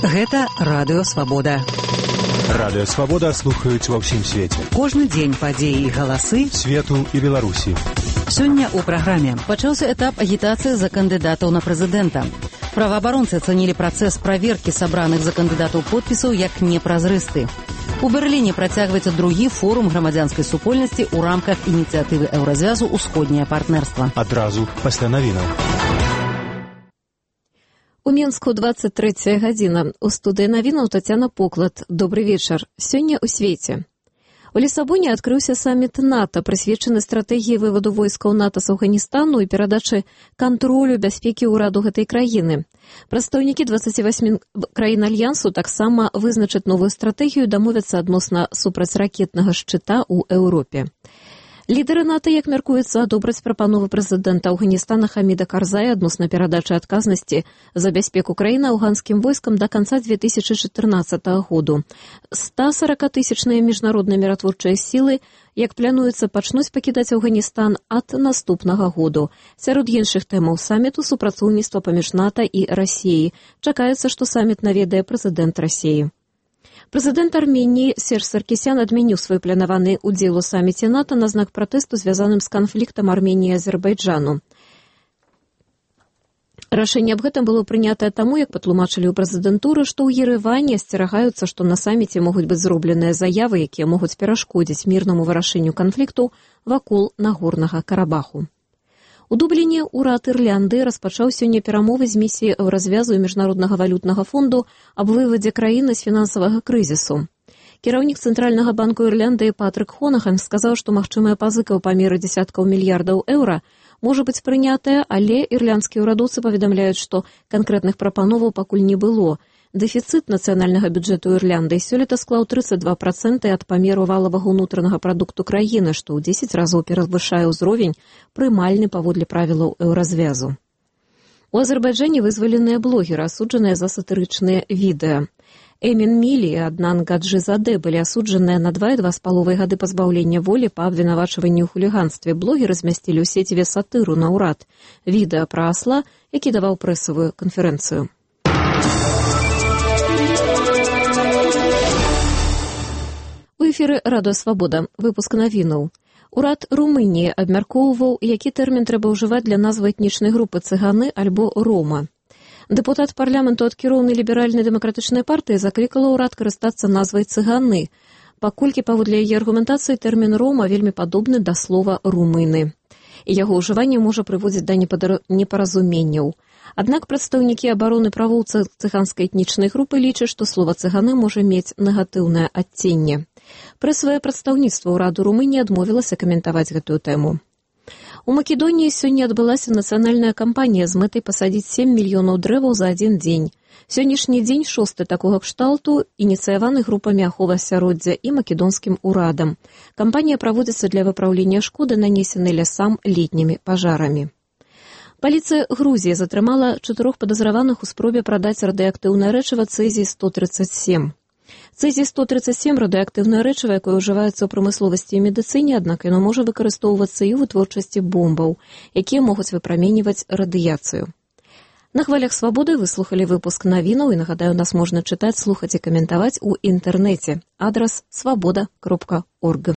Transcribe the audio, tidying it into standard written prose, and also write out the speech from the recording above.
Гэта Радыё Свабода. Радыё Свабода слухаюць ва ўсім свеце. Кожны дзень падзеі і галасы свету і Беларусі. Сёння ў праграме пачаўся этап агітацыі за кандыдатаў на прэзідэнта. Праваабаронцы ацанілі працэс праверкі сабраных за кандыдатаў подпісаў як непразрысты. У Берліне працягваецца другі форум грамадзянскай супольнасці ў рамках ініцыятывы Еўразвязу «Усходняе партнерства». Адразу пасля навінаў. У Мінску 23 гадзіна. У студыі навінаў Тацяна Поклад. Добры вечар. Сёння ў свеце. У Лісабоне адкрыўся саміт НАТО, прысвечаны стратэгіі вываду войскаў НАТО з Афганістану і перадачы кантролю бяспекі ўраду гэтай краіны. Прадстаўнікі 28 краін Альянсу таксама вызначаць новую стратэгію, дамовяцца адносна супрацьракетнага шчыта ў Еўропе. Лідары НАТО, як мяркуецца, адобраць прапановы прэзідэнта Афганістана Хаміда Карзая адносна перадачы адказнасці за бяспеку краіны афганскім войскам да канца 2014 году. 140-тысячныя міжнародныя міратворчыя сілы, як плануецца, пачнуць пакідаць Афганістан ад наступнага году. Сярод іншых тэмаў саміту супрацоўніцтва паміж НАТО і Расіяй. Чакаецца, што саміт наведае прэзідэнт Расіі. Прэзідэнт Арменіі Серж Саркісян адмяніў свой планаваны ўдзел у саміце НАТО на знак пратэсту, звязаным з канфліктам Арменіі і Азербайджану. Рашэнне аб гэтым было прынятае таму, як патлумачылі ў прэзідэнтуры, што ў Ерэване асцерагаюцца, што на саміце могуць быць зробленыя заявы, якія могуць перашкодзіць мірнаму вырашэнню канфлікту вакол Нагорнага Карабаху. У Дубліне ўрад Ірландыі распачаў сёння перамовы з місіяй Еўразвязу і Міжнароднага валютнага фонду аб вывадзе краіны з фінансавага крызісу. Кіраўнік Цэнтральнага банку Ірландыі Патрык Хонахан сказаў, што магчымая пазыка ў памеры дзесяткаў мільярдаў еўра можа быць прынятая, але ірландскія ўрадоўцы паведамляюць, што канкрэтных прапановаў пакуль не было. Дэфіцыт нацыянальнага бюджэту Ірландыі сёлета склаў 32% ад памеру валавага ўнутранага прадукту краіны, што ў 10 разоў перавышае ўзровень, прымальны паводле правілаў Еўразвязу. У Азербайджане вызваленыя блогеры, асуджаныя за сатырычныя відэа. Эмін Мілі і Аднан Гаджызаде былі асуджаныя на 2 і 2,5 гады пазбаўлення волі па абвінавачванні ў хуліганстве. Блогеры змясцілі ў сеціве сатыру на ўрад. Відэа пра асла, які даваў прэсавую канферэнцыю. У эфіры Радыё Свабода. Выпуск навінаў. Урад Румыніі абмяркоўваў, які тэрмін трэба ўжываць для назвы этнічнай групы цыганы альбо рома. Дэпутат парламенту ад кіроўнай ліберальнай дэмакратычнай партыі заклікала ўрад карыстацца назвай цыганы, паколькі, паводле яе аргументацыі, тэрмін рома вельмі падобны да слова румыны. І яго ўжыванне можа прыводзіць да непаразуменняў. Аднак прадстаўнікі абароны правоў цыганскай этнічнай групы лічаць, што слова цыганы можа мець негатыўнае адценне. Прэсавае прадстаўніцтва ўраду Румыніі адмовілася каментаваць гэтую тэму. У Македоніі сёння адбылася нацыянальная кампанія з мэтай пасадзіць 7 мільёнаў дрэваў за адзін дзень. Сённяшні дзень шосты такога кшталту, ініцыяваны групамі аховы асяроддзя і македонскім урадам. Кампанія праводзіцца для выпраўлення шкоды, нанесенай лясам летнімі пажарамі. Паліцыя Грузіі затрымала 4 падазраваных у спробе прадаць радыеактыўнае рэчыва цэзій-137. Цэзій-137 – радыеактыўнае рэчыва, якое ўжываецца ў прамысловасці і медыцыне, аднак яно можа выкарыстоўвацца і ў вытворчасці бомбаў, якія могуць выпраменьваць радыяцыю. На хвалях Свабоды выслухалі выпуск навінаў і, нагадаю, нас можна чытаць, слухаць і каментаваць у інтэрнэце. Адрас swaboda.org.